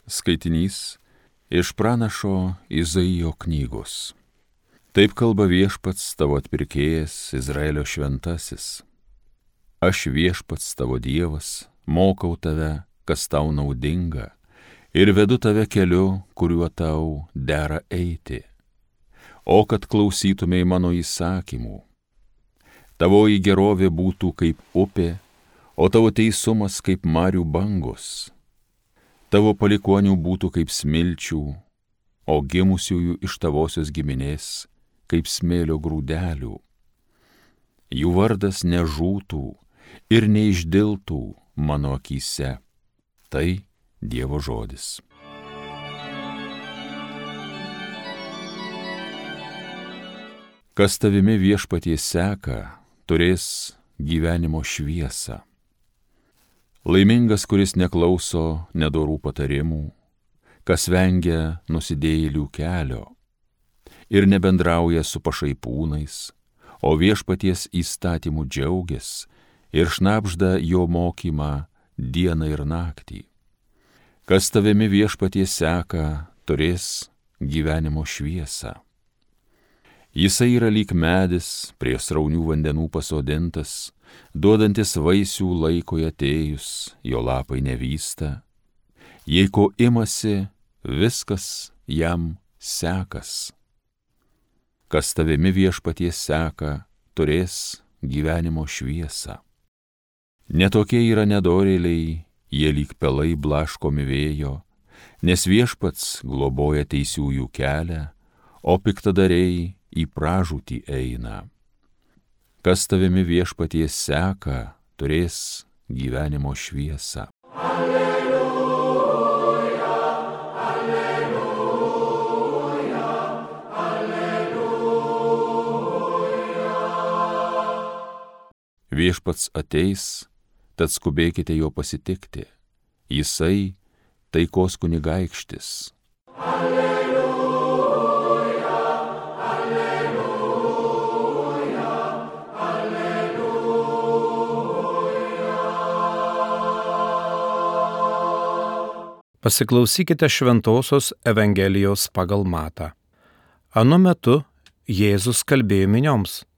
Skaitinys iš pranašo Izaijo knygos. Taip kalba Viešpats tavo atpirkėjas, Izraelio šventasis. Aš Viešpats tavo Dievas, mokau tave, kas tau naudinga, ir vedu tave keliu, kuriuo tau dera eiti. O kad klausytumei mano įsakymų. Tavoji gerovė būtų kaip upė, o tavo teisumas kaip marių bangos. Tavo palikonių būtų kaip smilčių, o gimusiųjų iš tavosios giminės kaip smėlio grūdelių. Jų vardas nežūtų ir neišdiltų mano akyse. Tai Dievo žodis. Kas tavimi Viešpatie seka, turės gyvenimo šviesą. Laimingas, kuris neklauso nedorų patarimų, kas vengia nusidėjėlių kelio ir nebendrauja su pašaipūnais, o Viešpaties įstatymų džiaugias ir šnabžda jo mokymą dieną ir naktį. Kas tavimi Viešpatie seka, turės gyvenimo šviesą. Jisai yra lyg medis prie sraunių vandenų pasodintas, duodantis vaisių laikui atėjus, jo lapai nevysta. Jei ko imasi, viskas jam sekas. Kas tavimi Viešpatie seka, turės gyvenimo šviesą. Netokie yra nedorėliai, jie lyg pelai blaškomi vėjo, nes Viešpats globoja teisiųjų kelią, o piktadariai į pražūtį eina. Kas tavimi Viešpatie seka, turės gyvenimo šviesą. Alleluja, alleluja, alleluja. Viešpats ateis, tad skubėkite jo pasitikti. Jisai taikos kunigaikštis. Alleluja. Pasiklausykite Šventosios Evangelijos pagal Matą. Anu metu Jėzus kalbėjo minioms.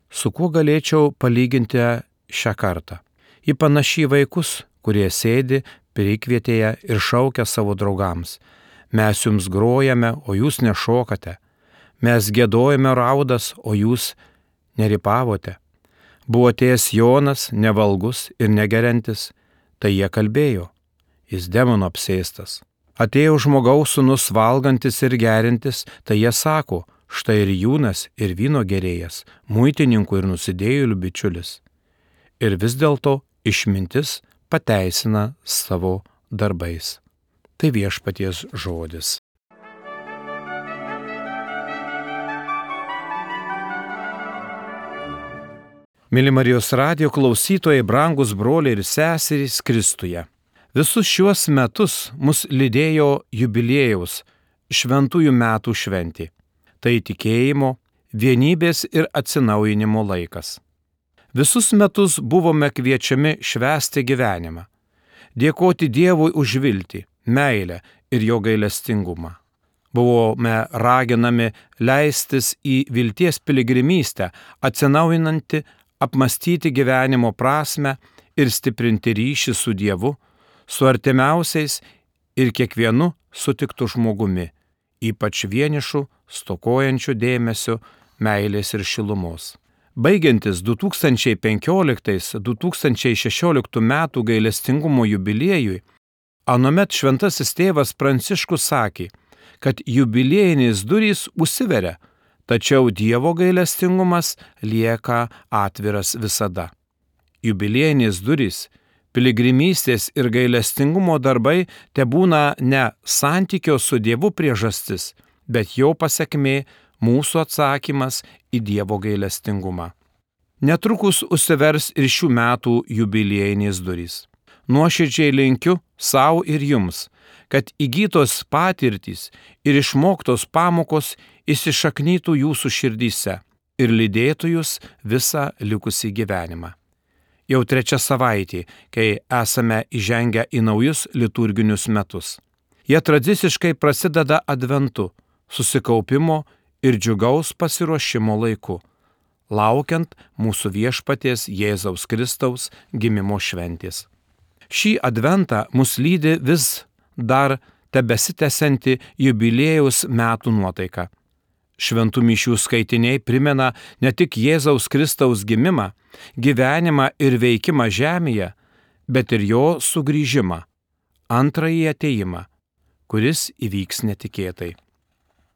Su kuo galėčiau palyginti šią kartą? Ji panaši į vaikus, kurie sėdi prikvietėje ir šaukia savo draugams. Mes jums grojame, o jūs nešokate. Mes giedojame raudas, o jūs neripavote. Buvo atėjęs Jonas, nevalgus ir negeriantis, tai jie kalbėjo. Jis demonų apsėstas. Atėjo žmogaus sūnus valgantis ir gerintis, tai jie sako, štai ir jūnas, ir vyno gerėjas, muitininkų ir nusidėjėlių bičiulis. Ir vis dėlto išmintis pateisina savo darbais. Tai Viešpaties žodis. Myli Marijos radijo klausytojai, brangus broliai ir seserys Kristuje. Visus šiuos metus mus lydėjo jubiliejaus šventųjų metų šventė. Tai tikėjimo, vienybės ir atsinaujinimo laikas. Visus metus buvome kviečiami švęsti gyvenimą, dėkoti Dievui už viltį, meilę ir jo gailestingumą. Buvome raginami leistis į vilties piligrimystę, atsinaujinantį, apmastyti gyvenimo prasmę ir stiprinti ryšį su Dievu, su artimiausiais ir kiekvienu sutiktu žmogumi, ypač vienišu, stokojančiu dėmesio, meilės ir šilumos. Baigiantis 2015-2016 metų gailestingumo jubiliejui, anuomet šventasis tėvas Pranciškus sakė, kad jubiliejinės durys užsiveria, tačiau Dievo gailestingumas lieka atviras visada. Jubiliejinės durys, piligrimystės ir gailestingumo darbai tebūna ne santykio su Dievu priežastis, bet jo pasekmė mūsų atsakymas į Dievo gailestingumą. Netrukus užsivers ir šių metų jubiliejinės durys. Nuoširdžiai linkiu savo ir jums, kad įgytos patirtys ir išmoktos pamokos įsišaknytų jūsų širdyse ir lydėtų jūs visą likusį gyvenimą. Jau 3 savaitė, kai esame įžengę į naujus liturginius metus. Jie tradiciškai prasideda adventu, susikaupimo ir džiugaus pasiruošimo laiku, laukiant mūsų viešpaties Jėzaus Kristaus gimimo šventės. Šį adventą mus lydi vis dar tebesitęsianti jubiliejaus metų nuotaika. Šventų mišių skaitiniai primena ne tik Jėzaus Kristaus gimimą, gyvenimą ir veikimą žemėje, bet ir jo sugrįžimą, antrąjį atėjimą, kuris įvyks netikėtai.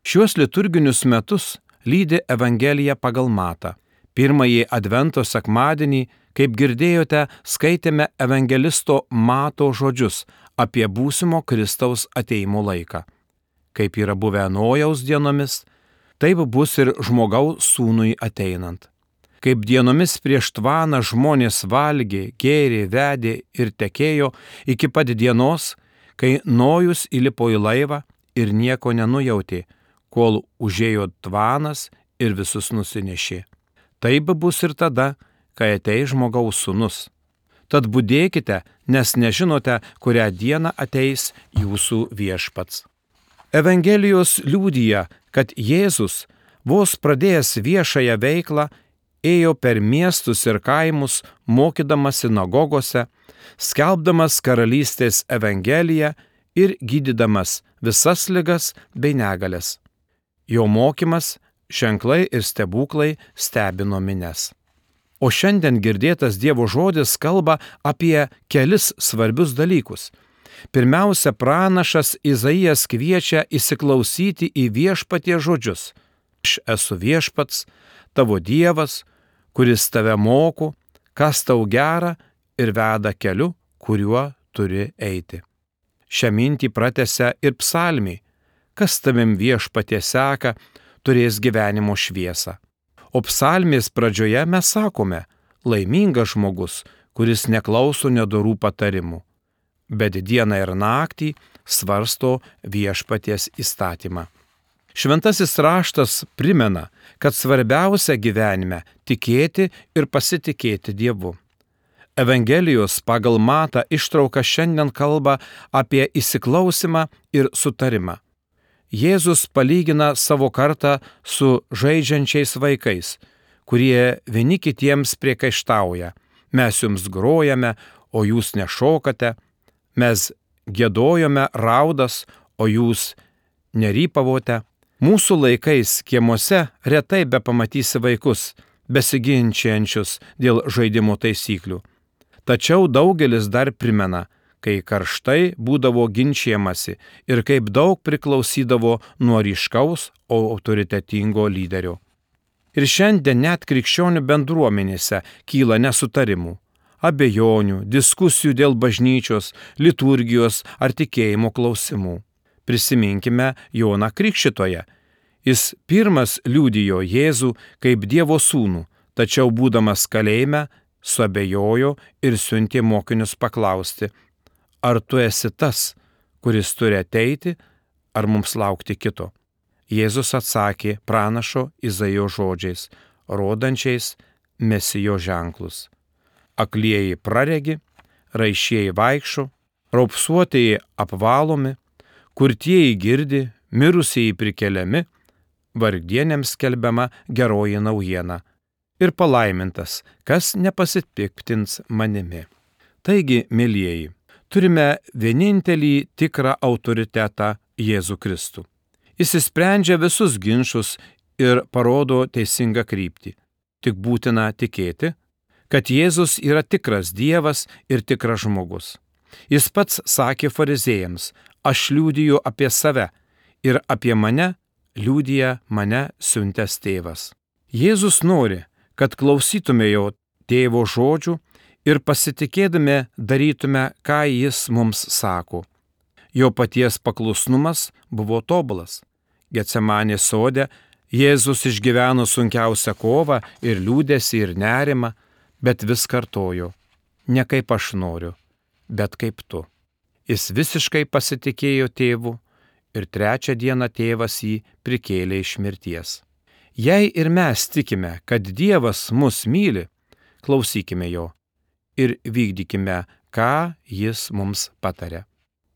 Šiuos liturginius metus lydi Evangelija pagal Matą. Pirmąjį advento sekmadienį, kaip girdėjote, skaitėme evangelisto Mato žodžius apie būsimo Kristaus atėjimo laiką. Kaip yra buvę Nojaus dienomis, taip bus ir žmogaus sūnui ateinant. Kaip dienomis prieš tvaną žmonės valgė, gėrė, vedė ir tekėjo iki pat dienos, kai Nojus įlipo į laivą ir nieko nenujautė, kol užėjo tvanas ir visus nusinešė. Taip bus ir tada, kai ateis žmogaus sūnus. Tad budėkite, nes nežinote, kurią dieną ateis jūsų viešpats. Evangelijos liudija, kad Jėzus, vos pradėjęs viešąją veiklą, ėjo per miestus ir kaimus, mokydamas sinagogose, skelbdamas karalystės evangeliją ir gydydamas visas ligas bei negalias. Jo mokymas, ženklai ir stebuklai stebino minias. O šiandien girdėtas Dievo žodis kalba apie kelis svarbius dalykus. Pirmiausia, pranašas Izaijas kviečia įsiklausyti į viešpaties žodžius. Aš esu viešpats, tavo Dievas, kuris tave moko, kas tau gera ir veda keliu, kuriuo turi eiti. Šią mintį pratęsia ir psalmiai. Kas tavim viešpatie seka, turės gyvenimo šviesą. O psalmės pradžioje mes sakome, laimingas žmogus, kuris neklauso nedorų patarimų, bet dieną ir naktį svarsto viešpaties įstatymą. Šventasis raštas primena, kad svarbiausia gyvenime tikėti ir pasitikėti Dievu. Evangelijos pagal Matą ištrauka šiandien kalba apie įsiklausimą ir sutarimą. Jėzus palygina savo kartą su žaidžiančiais vaikais, kurie vieni kitiems priekaištauja. Mes jums grojame, o jūs nešokate, mes giedojome raudas, o jūs nerypavote. Mūsų laikais kiemuose retai bepamatysi vaikus, besiginčiančius dėl žaidimo taisyklių. Tačiau daugelis dar primena, kai karštai būdavo ginčijamasi ir kaip daug priklausydavo nuo ryškaus, autoritetingo lyderio. Ir šiandien net krikščionių bendruomenėse kyla nesutarimų, abejonių, diskusijų dėl bažnyčios, liturgijos ar tikėjimo klausimų. Prisiminkime Joną Krikštytoją. Jis pirmas liudijo Jėzų kaip Dievo sūnų, tačiau būdamas kalėjime suabejojo ir siuntė mokinius paklausti, ar tu esi tas, kuris turi ateiti, ar mums laukti kito? Jėzus atsakė pranašo Izaijo žodžiais, rodančiais Mesijo ženklus. Aklieji praregi, raišieji vaikščio, raupsuotieji apvalomi, kurtieji girdi, mirusieji prikeliami, vargdienėms skelbiama geroji naujiena. Ir palaimintas, kas nepasipiktins manimi. Taigi, mielieji, turime vienintelį tikrą autoritetą Jėzų Kristų. Jis išsprendžia visus ginčus ir parodo teisingą kryptį. Tik būtina tikėti, kad Jėzus yra tikras Dievas ir tikras žmogus. Jis pats sakė farizėjams, aš liudiju apie save ir apie mane liudija mane siuntęs tėvas. Jėzus nori, kad klausytume jo tėvo žodžių ir pasitikėdami darytume, ką jis mums sako. Jo paties paklusnumas buvo tobulas. Getsemanės sode Jėzus išgyveno sunkiausią kovą ir liūdesį ir nerimą, bet vis kartojo, ne kaip aš noriu, bet kaip tu. Jis visiškai pasitikėjo tėvu ir trečią dieną tėvas jį prikėlė iš mirties. Jei ir mes tikime, kad Dievas mus myli, klausykime jo ir vykdykime, ką jis mums pataria.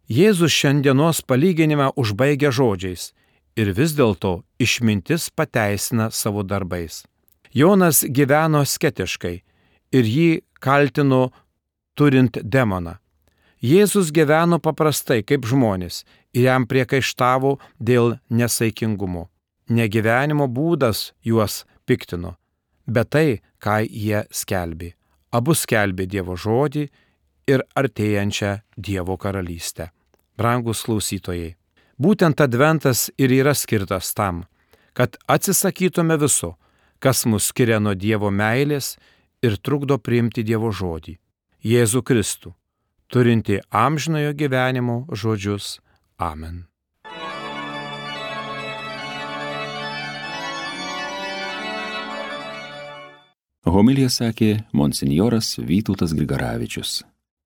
Jėzus šiandienos palyginimą užbaigia žodžiais ir vis dėlto išmintis pateisina savo darbais. Jonas gyveno skeptiškai ir jį kaltino turint demoną. Jėzus gyveno paprastai kaip žmonės ir jam priekaištavo dėl nesaikingumo. Negyvenimo būdas juos piktino, bet tai, ką jie skelbė. Abu skelbė Dievo žodį ir artėjančią Dievo karalystę. Brangus klausytojai, būtent adventas ir yra skirtas tam, kad atsisakytume viso, kas mus skiria nuo Dievo meilės ir trukdo priimti Dievo žodį. Jėzų Kristų, turinti amžinojo gyvenimo žodžius. Amen. Homiliją sakė monsinjoras Vytautas Grigaravičius.